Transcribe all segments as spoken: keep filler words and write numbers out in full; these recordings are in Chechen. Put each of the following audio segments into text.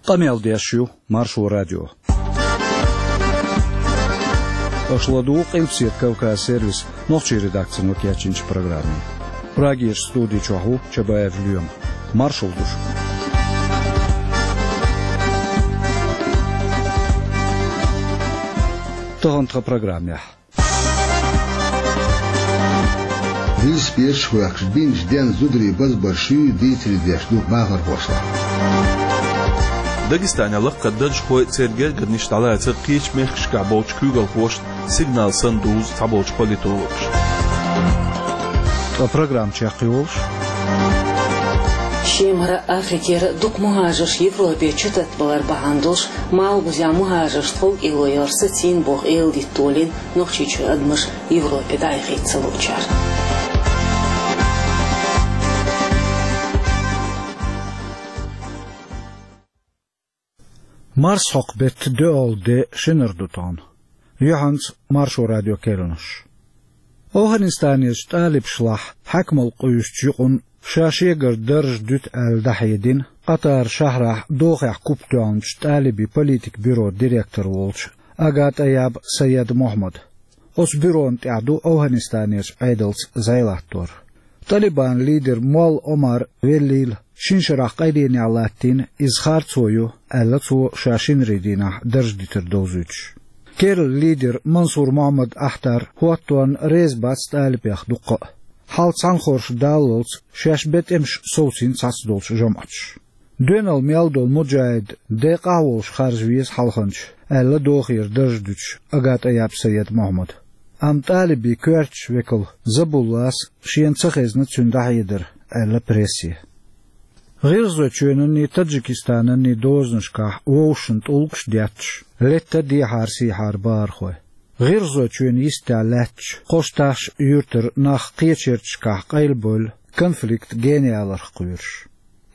Къамел деш ю Маршо радио. Аша ладугӀу Къилбаседа Кавказ сервисан нохчийн редакцино кечйинчу программе. Прагерчу студи чохь ву Чабаев Лоьма. Маршалла ду шуьга. Тахана тхан программехь. Велосипедаш а хӀоьттуш, бинчу денна зударий базбар шуьйра дийцаре деш ду бахархошлахь. Дагестанехь лаккхара даржхой а, церан гергарниш а дӀалацар кхечу мехкашкахь болчу куьйгалхошна сигнал санна дузу цхьаболчу политологаша. Ткъа программа чекхйолуш. Шемара, Африкера дукха мухӀажарш Европе чу таттабалар бахьана долуш, Малхбузехь мухӀажаршна тховкӀело яр сацийна боху эладитта толийна Нохчийчуьра адамаш Европе дӀаяхийта ца луучара. Марсхьокху беттан доьалгӀа де шинара ду тахана. Юьхьанца Маршо радион керланаш. ОвхӀанистанерчу тӀалибашлахь хьаькамалла къуьйсучу юкъана ша шегара дарж дуьту аьлла дӀахьедина Къатар шахьарахь дохехь куп тоьхначу тӀалибийн политикан бюрон директор волчу Ага ТӀайяб Саед Мохьмад. Оцу бюрона тӀехь ду ОвхӀанистанерчу Ӏедалца зӀе латтор. ТӀалибан лидер Молла Омар веллийла, шина шарахь къайленехь латтийна иза харцо ю, аьлла цо ша шинарийн дийнахь дарж дитар довзуьйтуш. Керла лидер Мансур Мохьмад Ахтар хӀотторна реза бац тӀалибех дуккха а. Хьал цхьаьнахорша даллалц шаьш бен тӀемаш совцийна цхьацдолчу жамӀаташа. Доьналла мел долу муджахӀид декъахь а волуш харжа веза хьалханча, аьлла дохийра дарж дуьтуш Ага ТӀайяб Саед Мохьмада. Амма тӀалибийн коьртачу векала Забуллас шена ца хезна цуьнан дӀахьедар, аьлла прессе. ГӀиргӀазойчоьнанний, Таджикистананний дозанашкахь вовшашна тӀулгаш а детташ, летта дехьара-сехьара бахархой. ГӀиргӀазойчоьнан йистехь лаьтташ, кхо шатахь а юьртара нах кхечу ярташкахь къайлабевлла, конфликт генаяларх кхоьруш.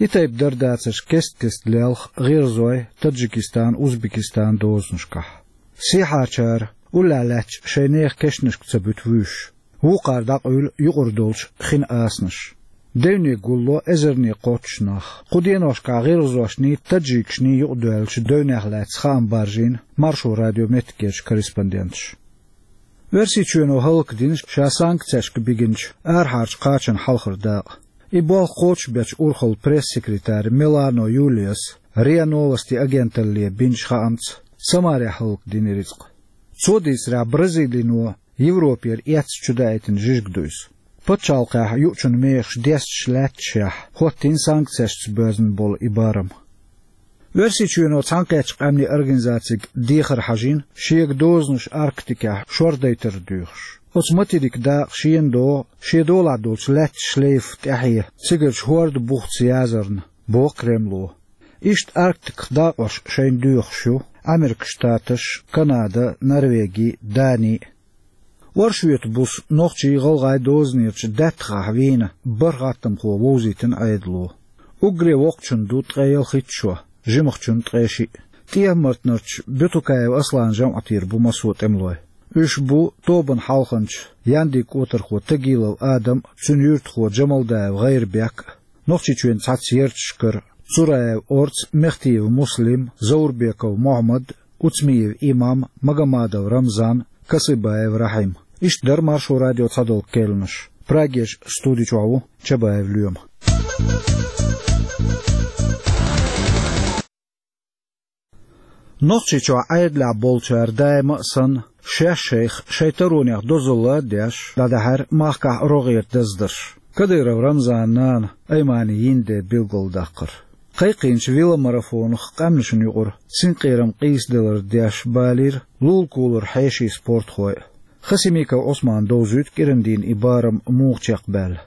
И тайпа дар дацарш кест-кеста лелха гӀиргӀазойн, Таджикистанан, Узбекистанан дозанашкахь. Сехьарчара уллехь лаьтташ шайн нехан кешнашка ца буьту вуьйш. Вукхара дӀакъуьйлу юкъара долчу хин асанаш. Девне гулло эзарнийн кхоччуш нах. Кху деношкахь гӀиргӀазошний, таджикашний юкъадоьллачу девнех лаьцна хаам баржийна Маршо радион меттигерчу корреспонденташа. Оьрсийчоьно хӀаллакдина ша санкцешка бигинчу арахьарчу кхачанан хьалхара дакъа. И болх кхочушбечу урхаллан пресс-секретарь Милано Юлияс РИА Новости агенталле бинчу хаамца, Самарехь хӀаллакдина и рицкъ. Цо дийцарехь, Бразилино Европера эцна чудаийтина жижиг ду иза. Пачхьалкхехь юучун мехаш десташ лаьтташехь, хӀоттийна санкцешца боьзна болу и барам. Оьрсийчоьно Цхьаьнакхеттачу Къаьмнийн Организацига дехар хьажийна, шега дозанаш Арктикехь шордайтар доьхуш. Оцу материкан дакъа шена догӀу, шен долахь долчу лаьттан шлейф тӀаьхье, цигарчу хӀордан бухца язарна, боху Кремло. Иштта Арктиках дакъош шайна доьхуш ю Американ Штаташ, Канада, Норвеги, Дани. Оршота буса нохчий, гӀалгӀай дозанерчу даьттахахь вийна бархӀ хаттамхо вовзийтина Ӏедало. Уггаре воккхачун ду ткъе ялхитта шо, жимахчун ткъе шиъ. ТӀехьа-Мартанарчу Бютукаев Асланан жамӀатера бу массо а тӀемалой. Уьш бу тобанан хьалханча Яндин кӀотархо Тагилов Адам а, цуьнан юьртахо Джамалдаев ГӀайрбек а, Нохчийчоьнан цхьацца ярташкара Цураев Орца, Мехтиев Муслим, Заурбеков Мохьмад, Уцмиев Имам, Магомадов Рамзан, Касыбаев Рахьим. Иштта дара Маршо радион цхьадолу керланаш. Прагерчу студи чохь ву Чабаев Лоьма. Нохчийчохь Ӏедалехь болчара даима а санна, шаьш шайх шайн таронех дозалла а деш, дӀадаьхьира махкахь рогӀера даздарш. Кадыров Рамзанан нана Аймани Йинде билгалдаккхара. Кхайкхийначу веломарафонах къаьмнашна юкъара синкъерам къийсадалар деш балийра лулакулара хьеший, спортхой а. Хасимиков Ӏусмана довзуьйту кӀирандийна и барам муха чекхбаьлла.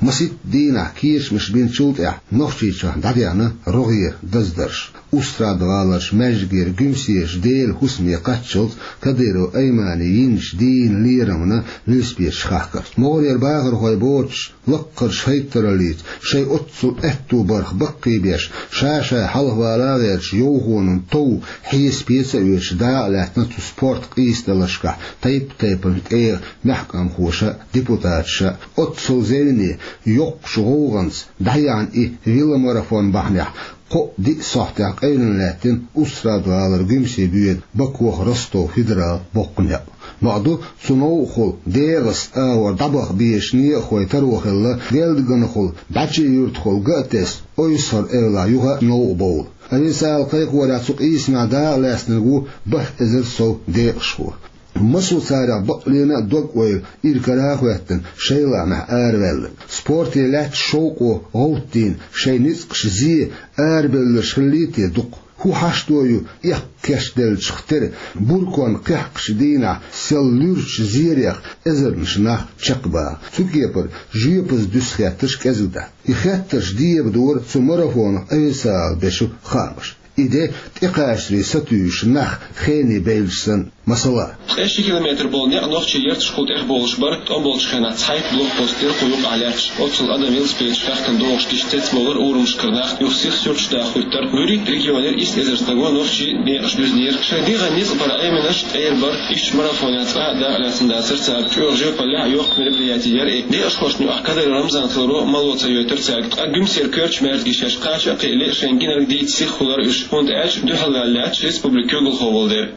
Масийтта дийнахь кечамаш бинчул тӀаьхьа Нохчийчохь дӀадаьхьна рогӀера даздарш. Устрада-ГӀаларчу маьждигера Гуьмсерчу Делан хӀусаме кхаччалц Кадыров Аймани йинчу дийнан лерамна велосипедаш хахкарх. МогӀарера бахархой боцуш, лаккхарчу хӀайттараллица шайн оццул аьтту барх баккхийбеш, ша-шайн хьалхавала а гӀерташ, йовхонан тов хьеса-пеца а оьцуш, дакъа лаьттина цу спорт къийсадаларшкахь тайп-тайпана тӀегӀа маьхкамхоша а, депутаташа а. Оццул зевне, йоккхачу гӀовгӀанца дӀаяьхьна и веломарафон бахьанехь Кхо-диъ сахьтехь къайлана лаьттина Устрада-гӀалара Гуьмсе боьду Бакох Ростов федерал боккха некъ. Бакъду, цу новкъахула дегӀаца агӀор дӀабаха безаш некъахой таро хилла, Гелдаганахула ДӀачи-Юьртахула ган а тесна, Ойсхьар-Эвлахь юха а новкъа бовла. Официалан кхайкхорехь цу къийсамехь дакъа лаьцнарг ву бархӀ эзар сов декъашхо. Массо а царех бакъ лена а дог-ойла ира кара а хӀоьттина, шайлахьмехь араваьлларг. Спорте лаьтташ шовкъо гӀовттийна, шайн ницкъаш зе арабевлларш хиллий те дукха? ХӀун хьашто ю эккха кечделлачух тера, бурконна кхехкачу дийнахь сел луьрачу зерех эзарнаш нах чекхбаха? Цу кепара жоьпаза дуьсу хеттарш кӀезиг дац. И хеттарш дебадора цу марафонах официалан бечу хаамаша. И де тӀекхачарий сатуьйсуш нах хене бевлча санна, масала. Ткъе ши километр болу некъ нохчий ярташкахула тӀехбовлуш бара, тӀом болчу хенахь цхьайтта блокпост дира кху юкъахь лаьтташ. Оццул адам велосипедаш хьаькхна догӀуш гича цецбовлура урамашкара нах, юха сиха суьрташ даха хӀуьттура. ВуьрхӀитта регионера исс эзар стага нохчийн некъаш буьзнера. Шайн дегӀан ницкъ бара Ӏеминарш тӀера бара, иштта марафонехь цкъа а дакъа лаьцна дацара цара. ЧӀогӀа жоьпаллехь а йоккха мероприятие яра и. Декъашхошна юкъахь Кадыров Рамзан хиларо мало ца йойтура цаьрга. Ткъа Гуьмсера коьртачу маьждигашкахь кхача а кхиале, шайн гинарг дийца сиха хуьлура уьш, хӀунда аьлча дуьхьалваьлла лаьтташ республикан куьйгалхо волу дела.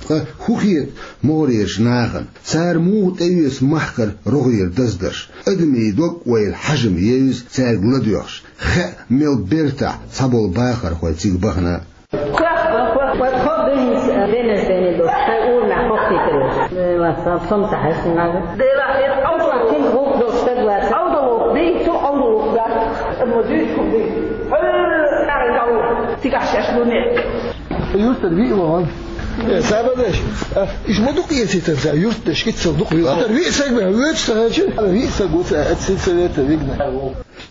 Ткъа хӀун хета могӀарерчу нахана? Цара муха тӀеоьцу махкара рогӀера даздарш? Адамийн дог-ойла хьажам евза цаьрга ладоьгӀуш. Хаьа, мел бертахь цхьаболу бахархой цига бахана. Кхоьхьа, кхоьхьа, кхоьхьа, кхоьхьа дуьйна, веннарш венна ду, шайн урамехь хӀоттийтар уьш. Э, ва, сан, сом ца хьаьжна нагахь. Делахь хир, Ӏовдал кхин гӀуллакх долуш стаг вац. Ӏовдал ву, дий, цу Ӏовдал ву, да. Амма дуьйцуш хӀума ду. Хьуьлла, нагахь гӀуллакх. Цигахь шаьш луне. Юртара виъ вахана. Э, сабадеш, а, иш ма дукха эцийтар ца, юртдеш, кицал дукха виъ. Ара виъ саг бен, вуьйцуш ца хьаьжча, ара виъ саг ву ца, а, сельсовета вигна.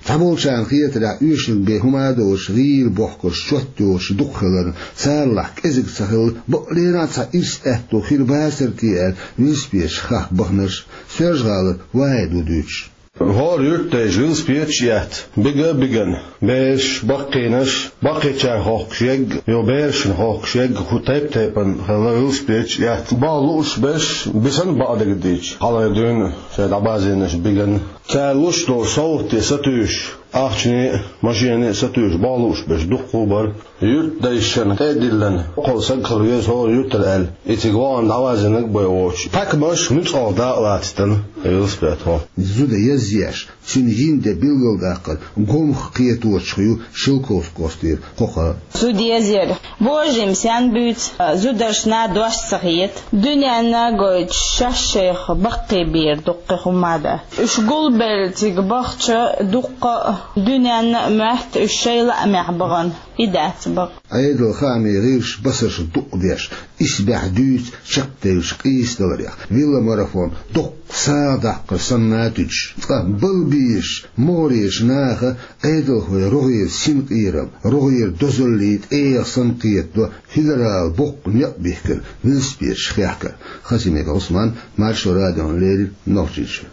Цхьаболчарна хетарехь, оьшург бен хӀума а доцуш, гӀийла бохкурш чот йоцуш дукха хиларна, царалахь кӀезиг ца хилла, бакъ леррина а цхьа ирс аьтто хир бацара те аьлла, велосипедаш хахка баханарш. Соьлжа-ГӀалара Вахьид ву дуьйцуш. ХӀора юьртдайша велосипедаш а етта, бига а бигана, бераш, баккхийнаш, баккхийчарна хохкуш егга, йо, берашна хохкуш егга, хӀу тайп-тайпана хилла велосипедаш а етта. Баха лууш берш, бисана бакъдерг дийцича, хьалха дуьйна шайн дӀабазийнарш бигана. Цара луш долу совгӀате сатуьйсуш, ахчане а, машенане а сатуьйсуш, баха лууш берш дуккха а бара. Юьртдайшна тӀе а диллина, кхол саг хила веза хӀора юьртара аьлла, и цига вахана дӀавазийнарг а бен воцуш, тхаьш нуьцкъала дакъа лацийта велосипедхо. Зуда язъеш, цуьнан йина де билгалдаккхар гомах кхеточух ю Шелковски кӀоштара кхокха. Зуда язъяр божим сен буьйцу, зударшна дош ца хета. Дуьненна гойтуш шаьш шайх баккхийбийр дуккха хӀума дац. Уьш гулбелла цига бахча дуккха а дуьненна а моьтту уьш шайн лаамехь бахана. И дац бакъ. Ӏедалан хаамийн гӀирсаша басарш дукъдеш, исбаьхьа дуьйцу чекхдевллачу къийсадаларех, веломарафон доккха сагӀа даккхар санна а туьдуш. Ткъа балбийраш, могӀарерчу наха Ӏедалхойн рогӀера синкъерам, рогӀера дозаллий тӀегӀа санна кхетадо федералан боккха некъ бихкина велосипедаш хехкар. Хасимиков Ӏусман, Маршо радиона леррина, Нохчийчоь.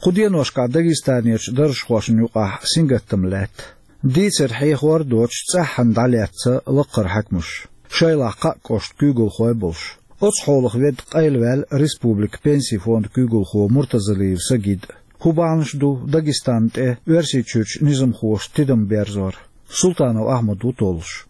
Кху деношкахь Дагестанерчу даржхошна юкъахь сингаттам лаьтта. Дийцар хьехор а доцуш, цӀеххьана дӀалаьцна лакхара хьаькамаш, шайлахь кхаа кӀоштан куьйгалхой а болуш. Оцу хьолах ведда къайлаваьлла республикан пенсийн фондан куьйгалхо Муртазалиев Сагид. ХӀун бахьанаш ду Дагестан тӀе Оьрсийчуьрчу низамхоша тидам берзор? Султанов Ахьмад ву толлуш.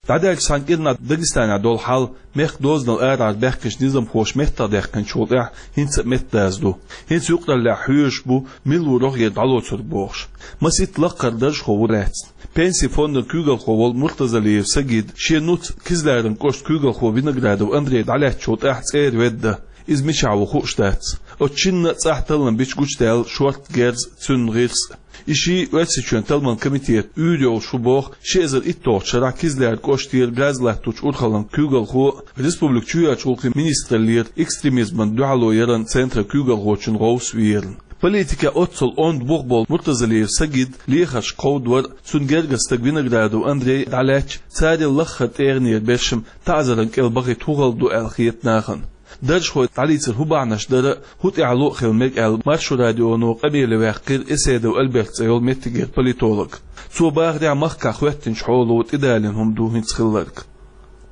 ДӀадаьллачу цхьана кӀирнахь Дагестанехь долу хьал мехкан дозанал арахьара баьхкинчу низамхоша меттахдаьккхинчул тӀаьхьа хӀинца а меттадаза ду. ХӀинца юкъараллехь хьоьжуш бу, мила ву рогӀера дӀалоцург бохуш. Масийтта лакхара даржхо ву лаьцна. Пенсийн фондан куьйгалхо волу Муртазалиев Сагид шен нуц, Кизляран кӀоштан куьйгалхо Виноградов Андрей дӀалаьцначул тӀаьхьа цӀера ведда. Иза мичахь ву хууш дац. Оцу шинна а цӀахь таллам бича гучудаьлла шортта герз а, цуьнан гӀирс а. И шиъ Оьрсийчоьнан талламан комитетан уьйр йолуш ву боху ши эзар итталгӀачу шарахь Кизляр кӀоштера газ латточу урхаллан куьйгалхо а, республикан чоьхьарчу гӀуллакхийн министраллера экстремизмана дуьхьало яран центран куьйгалхочун гӀовс а верна. Политикехь оццул онда бух болу Муртазалиев Сагид лехарш кховдавар а, цуьнан гергара стаг Виноградов Андрей дӀалаьцча, царел лаххара тӀегӀанера бершам таӀзаран кӀел бахийта хӀун хала ду аьлла хета нахана. Даржхой дӀалийцар хӀун бахьанаш дара, хӀун тӀаьхьало а хила мега аьлла, Маршо радионо къамеле ваьккхира Эседов Альберт цӀе йолу меттигера политолог. Цо бахарехь, махкахь хӀоьттинчу хьоло тӀедалийна хӀума ду хӀинца хилларг.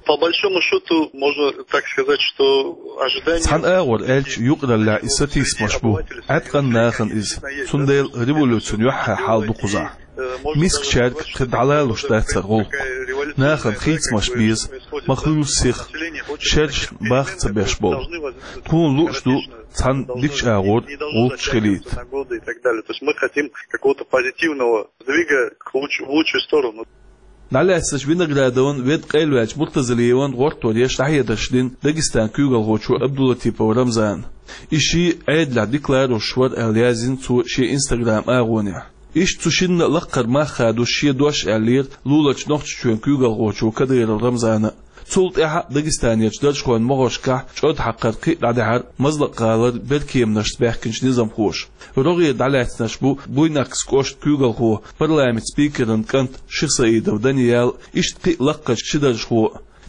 По большому счёту, можно так сказать, что ожидание... Цхьана агӀор аьлча, юкъараллехь и сатийсамаш бу, Ӏаткъана нахана иза, цундела революцина юьххьехь хьал ду кхузахь. Мискачаьрга кхы дӀалалуш дацар гӀуллакх. Нахана хийцамаш беза, ма хуьлу сиха, шераш баха ца беш болу. Тхуна лууш ду цхьана дикачу агӀор гӀуллакхаш хилийта. И так далее. То есть мы хотим какого-то позитивного сдвига к луч-, в лучшую сторону. ДӀалаьцначу Виноградовн, Веда къайлаваьллачу Муртазалиевн гӀортор еш дӀахьедарш дина Дагестан куьйгалхочо Абдулатипов Рамзана. И ший Ӏедалехь дика лоруш вара аьлла яздина цо шен Instagram агӀонехь. Иштта цу шинна а лаккхара мах хадош шен дош аьллера луларчу Нохчийчоьнан куьйгалхочо Кадыров Рамзана. Цул тӀаьхьа Дагестанерчу даржхойн могӀаршкахь чӀогӀа хьакхара кхин а дӀадаьхьира Мазлакъ-гӀалара беркеманашца баьхкинчу низамхоша. РогӀера дӀалаьцнарш бу Буйнакскан кӀоштан куьйгалхо, парламентан спикеран кӀант Шихсаидов Даниял, иштта кхин а лаккхарчу ши даржхо.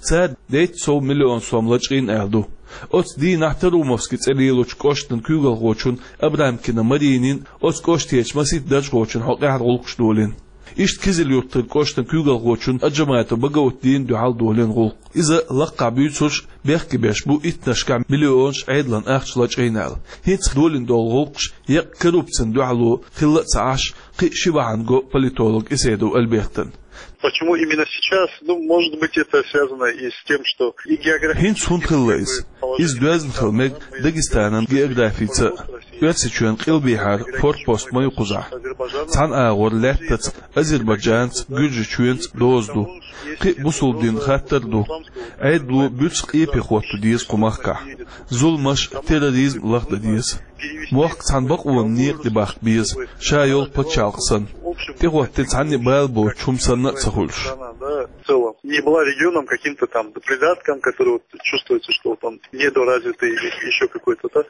Цара дейтта сов миллион сом лачкъийна аьлла ду. Оцу дийнахь Тарумовски цӀе лелочу кӀоштан куьйгалхочун Абрамкина Маринин оцу кӀоштарчу масийтта даржхочун хьокъехь гӀуллакхаш долийна. Иштта Кизил-Юртарчу кӀоштан куьйгалхочун Аджаматов Багаутдина дуьхьал долийна гӀуллакх. Иза лаккхахь буьйцурш бехке беш бу иттаннашкахь миллионаш Ӏедалан ахча лачкъийна аьлла. ХӀинца долийна долу гӀуллакхаш еккъа коррупцина дуьхьало хилла а ца Ӏаш, кхин а ши бахьана го политолог Эседов Альбертан. Почему именно сейчас? Ну, может быть, это связано и с тем, что и географически... ХӀинца хӀунда хилла иза? Иза доьзна хила мега Дагестанан географица а. Оьрсийчоьнан къилбехьара форпост ма ю кхузахь. Цхьана агӀор лаьттаца Азербайджанца, Гуьржийчоьнца доза ду. Кхин а бусулба динан хаттар а ду. Ӏедало буьрса къепе хӀотто деза кху махкахь. Зуламаш, терроризм лахдан деза. Мохк цхьана бакъонан некъа тӀе бахка беза, ша йолу пачхьалкх санна. ТӀехӀоттийна цхьанна а бала боцуш хӀума санна а ца хуьлуш. Да, в целом. Не была регионом каким-то там придатком, который вот чувствуется, что там недоразвитый или ещё какой-то, да?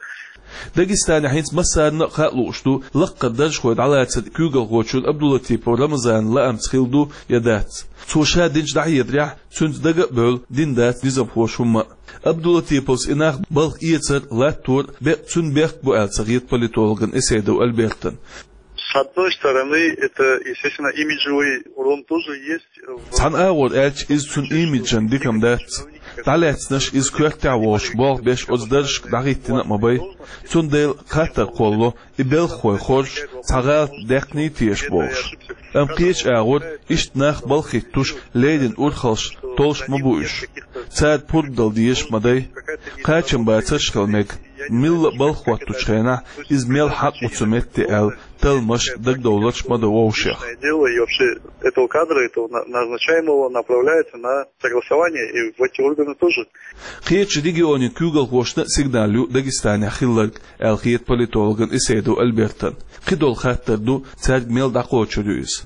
Дагестанехь хӀинца массарна а хаа лууш ду лаккхара даржхой дӀалацар куьйгалхочун Абдулатипов Рамзанан лаамца хилла ду я дац. Цо ша динчу дӀахьедарехь, цуьнца дага а бевлла, дина дац низамхоша хӀумма а. Абдулатиповс и нах балха эцар, латтор бекъ-, цуьнан бехк бу аьлла ца хета политологан Эседов Альбертан. С одной стороны, это, естественно, имиджевый урон тоже есть. Цхьана агӀор аьлча, иза цуьнан имиджана дика-м дац. ДӀалаьцнарш иза коьртехь а волуш болх беш оцу даржашка дӀахӀиттина а ма бай. Цундела хаттар кхоллало, и белхахой хоржуш, цхьа гӀалат даьккхиний теша бохуш. Амма кхечу агӀор иштта нах балха хӀиттош, леррина урхаллаш толлуш ма бу уьш. Цара пурба дала дезаш ма дай. Кхачамбацарш а хила мега. Милла а балха хӀоттучу хенахь иза мел хьакъ ву цу метте аьлла, талламаш, дагадовларш ма до вовшех. Дело и вообще этого кадра, этого на-, назначаемого, направляется на согласование и в эти органы тоже. Кхечу регионийн куьйгалхошна а сигнал ю Дагестанехь хилларг, аьлла хета политологан Эседов Альбертан. Кхидолу хаттар ду, цаьрга мел дӀакхочур ю иза.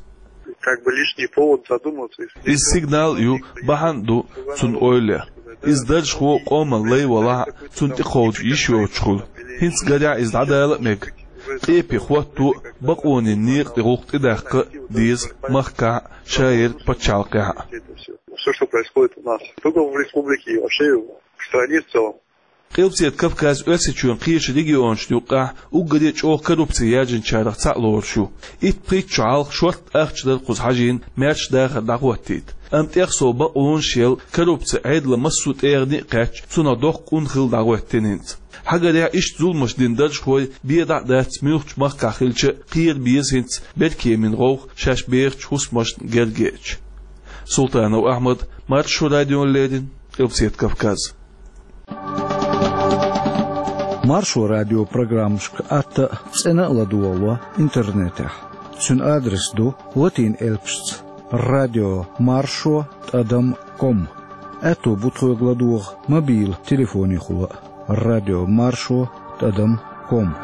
Как бы лишний повод задуматься. Иза сигнал а ю, бахьана а ду цунна ойла ян. Иза даржхо къоман лай валахь а, цунна тӀекховда йиш йоцуш хуьлу. ХӀинца гарехь иза дӀадала а мега. Къепе хӀотто а, бакъонийн некъа тӀе гӀуллакх тӀедаккха а деза махкахь а, шаерг пачхьалкхехь а. Всё, что происходит у нас, только в республике и вообще в стране в целом. Къилбаседа Кавказ Оьрсийчоьнан кхечу регионашна юккъехь уггаре а чӀогӀа коррупци яржинчарах цхьаъ лоруш ю. Итт-пхийтта шо хьалха шортта ахча дара кхуза хьажийна маьрша дахар дӀахӀоттийта. Амма тӀех сов бакъонаш елла, коррупци Ӏедалан массо а тӀегӀане а кхаьчча, цунах доккха къун хилла дӀахӀоьттина хӀинца. Хьагарехь, иштта зуламаш дина даржхой бен дӀа а дац, муьлххачу махкахь хилча а, кхера беза хӀинца беркеманийн гӀовгӀа шаьш бехачу хӀусамашна гергаеча. Султанов Ахьмад, Маршо радиона леррина, Къилбаседа Кавказ. Маршо радион программашка атта а, цӀена а ладогӀало интернетехь. Цуьнан адрес ду латин элпашца: радио маршо тӀадам ком. Аьтто бу тхоьга ладогӀа мобил телефонехула а: радио маршо тӀадам ком.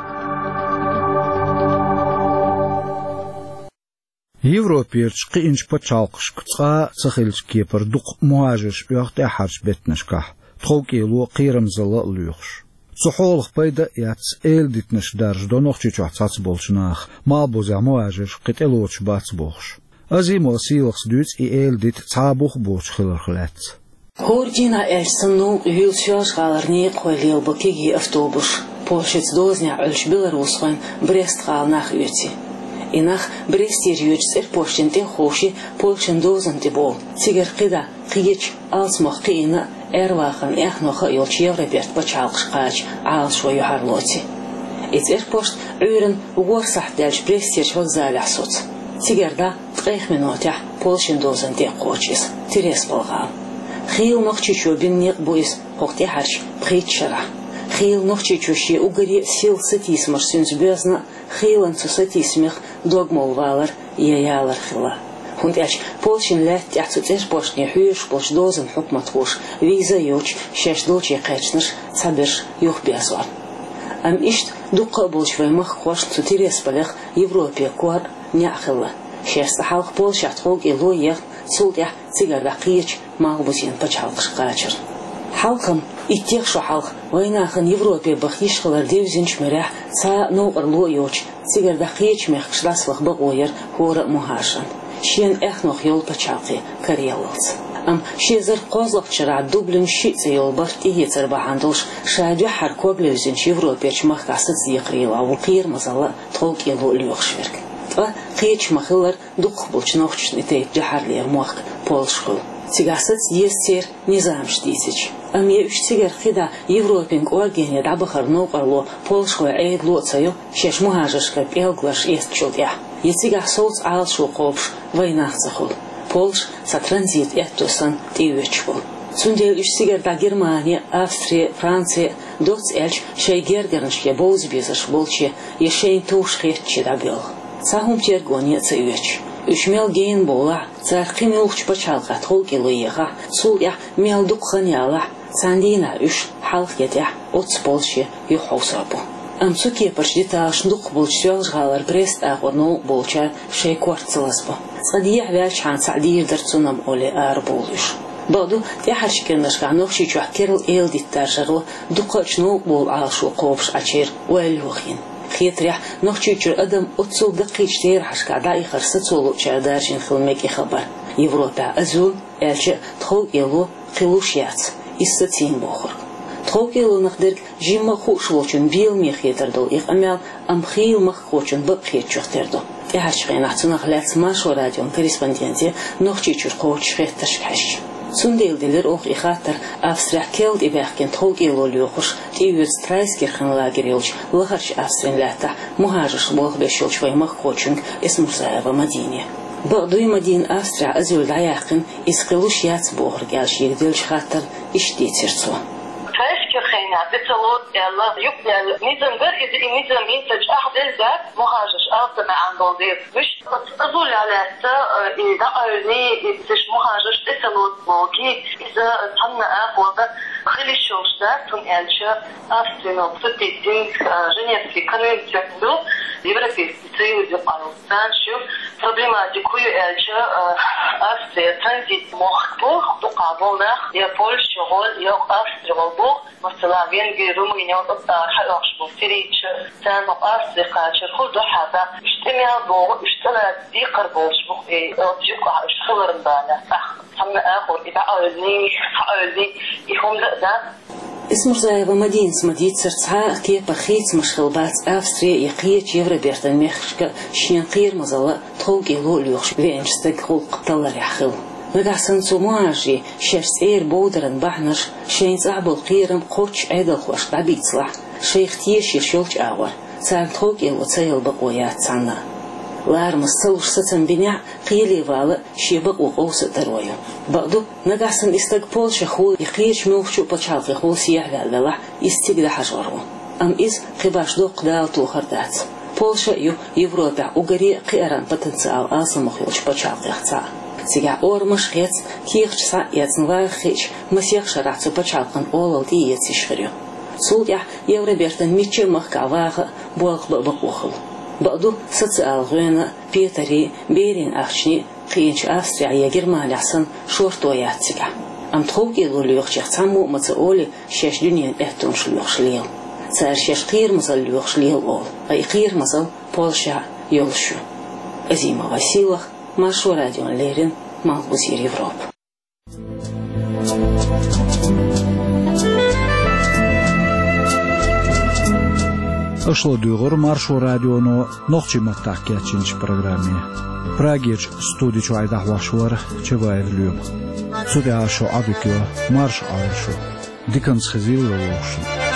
Европерчу кхиъначу пачхьалкхашка цкъа а ца хиллачу кепара дукха мухӀажарш оьху тӀаьххьарчу беттанашкахь, тховкӀело, кхерамзалла а лоьхуш. Цу хьолах пайда а эцна, эладитанаш даржадо Нохчийчохь цхьацца болчу наха, малхбузехь мухӀажарш кхин тӀелоцуш бац бохуш. Азимова Сийлахас дуьйцу и эладита цхьа а бух боцуш хиларх лаьцна. ХӀора дийнахь аьлча санна, юьлсоьлжа-гӀалара некъахой лелабо кегий автобусаш Польшаца дозанехь Ӏуьллучу белорусхойн Брест-гӀала нах оьций. И нах Брестера йоьдучу цӀерпоштан тӀе а ховший, Польшан дозанна тӀе бовлу. Цигара кхидӀа, кхечу, алсамох кхиийна а, аьрвахаран эхноха а йолчу Европерчу пачхьалкхашка кхача Ӏалашо юьхьарлоций. И цӀерпошт Ӏуьйранна ворхӀ сахьт даьлча Брестерчу вокзалехь соцу. Цигара дӀа ткъех минотехь Польшин дозан тӀе кхочу иза, Тирасполь-гӀала. Хийла Нохчийчоь бина некъ бу иза хӀокху тӀаьхьарчу пхийтта шарахь. Хийла Нохчийчоь шен уггаре а сел сатийсамаш цуьнца боьзна а, хийланна цу сатийсамех дог молла валар я ялар хилла. ХӀунда аьлча Польшин лаьтта тӀехь цу цӀерпошне хьоьжуш болчу дозан хьукматхоша виза а йоцуш, шаьш долчу кхаьчнарш цхьаберш юхаберзор. Амма иштта дуккха а болчу вайн махкахошна цу Тирасполех Европе кор а, неӀ а хилла. Шаьш цкъа хьалха Польшехь тховкӀело а ехна, цул тӀаьхьа цигара дӀа кхечу малхбузен пачхьалкхашка кхачарна. Хьалха-м, иттех шо хьалха, вайнахана Европе баха йиш хилар девзинчу муьрехь, цхьа а новкъарло а йоцуш, цигара дӀа кхечу мехкашка дӀасаваха бакъо яра хӀора а мухӀажарна, шена эхнох йолу пачхьалкхе караяллалц. Амма ши эзар кхозлагӀчу шарахь Дублин шиъ цӀе йолу барт тӀеэцар бахьана долуш, ша дуьххьара ког левзинчу Европерчу махкахь сацадекхарийлахь волу кхерамазалла а, тховкӀело а лоьхуш верг. Ткъа кхечу ма-хиллара, дукхахболчу нохчашна и тайпа дуьххьарлера мохк Польша хуьлу. Цигахь саца деза церан низамаш дийцича. Амма я уьш цигара кхидӀа Европин кӀоргене дӀабахар новкъарло польшахойн Ӏедало а ца йо, шаьш мухӀажаршкара пӀелгаларш эцначул тӀаьхьа, я цигахь совца Ӏалашо кхобуш вайнах ца хуьлу, Польша цхьа транзит аьтто санна тӀеоьцуш болу. Цундела уьш цигара дӀа Германе, Австре, Франце, доцца аьлча, шайн гергарнашке бовза безарш болче я шайна товш хетаче дӀабоьлху. Цхьа хӀума тергоне а ца оьцуш. Уьш мел гена бовлахь, цара кхин муьлххачу пачхьалкхехь тховкӀело ехахь, цул тӀаьхьа мел дукха хан ялахь, цхьана дийнахь уьш, хьалха я тӀаьхьа, оццу Польше юхахьовсор бу. Амма цу кепарчу деталшна дукхахболчу Соьлжа-ГӀалара пресса тӀаккха новкъа болчара шайн корта ца лазабо. Цкъа дехьаваьлчхьана цхьаъ дийр дара цунна олий арабовлу уьш. Бакъ ду, тӀаьхьарчу кӀирнашкахь Нохчийчохь керла эладиттарш яра дукхахчу новкъа болу Ӏалашо кхобуш Ӏачеран ойла йохийна. Хетарехь, Нохчийчуьра адам оццул даккхийчу терахьашкахь дӀаихар сацо луучара даржийна хила мега и хабар. Европехь азуьл, аьлча а, тховкӀело кхин луш яц, иза сацийна бохург. ТховкӀелонах дерг жимма а хууш волчунна беламе хетар долу и къамел, амма хийла махкахочунна бакъ хетачух тера ду, тӀаьхьарчу хенахь цунах лаьцна Маршо радион корреспонденте Нохчийчуьра кхочуш хеттаршка хьаьжча. Цундела делира оха и хаттар Австрехь керла тӀебаьхкина тховкӀело лоьхуш, тӀеоьцу Трайскирхен лагерь йолчу лахарчу Австрин лаьттахь мухӀажарш болх беш йолчу вайн махкахочуьнга Эсмурзаева Мадине. Бакъ дуй, Мадина Австрехь азуьл дӀаяьккхина, иза кхин луш яц бохург аьлла шега деллачу хаттарна иштта дийцира цо. Трайскирхенехь тӀе ца лоцу аьлла, юкъадаьлла низам дара иза, и низам хӀинца чӀагӀделла дац, мухӀажарш алсам маьӀна долу дела. Вуьш оцу азулехь лаьцна, э, и дӀакъевлиний, и цуьнан мухӀажарш тӀе ца лоцу бохий, иза цхьанна а агӀор хила йиш йолуш дац, хӀунда аьлча Австрин подписанный, э, Женевский конвенци ду, Европейский Союз юкъахь йолу. Царна шу проблематика хӀун ю аьлча, а, Австрия транзит мохк бу, дукха болу нах я Польша гӀолу, я Австри гӀолу бу, масала, Венгри, Румыни, оцу тӀара хьаоьхуш бу сирийцаш, царна Австри кхачар хӀун ду хьан, уьш тӀе мел богӀу, уьш тӀе лаьцна декхар болуш бу, и оцу юкъахь уьш хиларна бала, цхьанна а агӀор и дӀакъевлиний, схьакъевлиний, и хӀума дан а дац. Эсмурзаева Мадинас ма-дийццара, цхьа а кепара хийцамаш хилла бац Австре я кхечу Евробертан мехкашка шена кхерамазалла а, тховкӀело а лоьхуш веанчу стеган гӀуллакх талларехь хилла. Нагахь санна цу мухӀажарийн шаьш цӀера бовдаран бахьанаш, шайна цӀахь болу кхерам кхоччуш Ӏедалхошка дӀабийцалахь, шайх теша йолчу агӀор, царна тховкӀело ца яла бакъо яц цхьанна а. Ларамаза ца луш сацам бинехь а, кхеле вала а шен бакъо къовса а таро ю. Бакъ ду, нагахь санна и стаг Польшехула я кхечу муьлххачу а пачхьалкхехула сехьаваьлла велахь, иза цига дӀахьажор ву. Амма иза кхин башха доккха далатохар дац. Польша а ю Европехь уггаре а кхиаран потенциал алсамох йолчу пачхьалкхех цхьаъ. Цигахь орамаш а хецна, кехаташ схьа а эцна, ваха хиъча, масех шарахь цу пачхьалкхан олалла тӀеэца йиш хир ю. Цул тӀаьхьа Евробертан мичча а махкахь ваха а, болх бан а бакъо хуьлу. Бакъ ду, социал гӀоьнан а, петарийн а, берийн ахчанийн а кхиъначу Австрехь я Германехь санна шорто яц цигахь. Амма тховкӀело лоьхучех цхьаммо а ма ца олий шаьш дуьненан аьттонаш лоьхуш лела. Цара шаьш кхерамазалла лоьхуш лела олу, ткъа и кхерамазалла Польшехь а йолуш ю. Азимова Сийлаха, Маршо радиона леррина, Малхбузера Европа. Аша ладуьйгӀура Маршо радионо нохчийн маттахь кечйинчу программе. Прагерчу студи чуьра дӀахьош вара Чабаев Лоьма. Цу тӀехь шун Ӏодика йо, марша Ӏойла шу. Диканца хезийла вай вовшашна.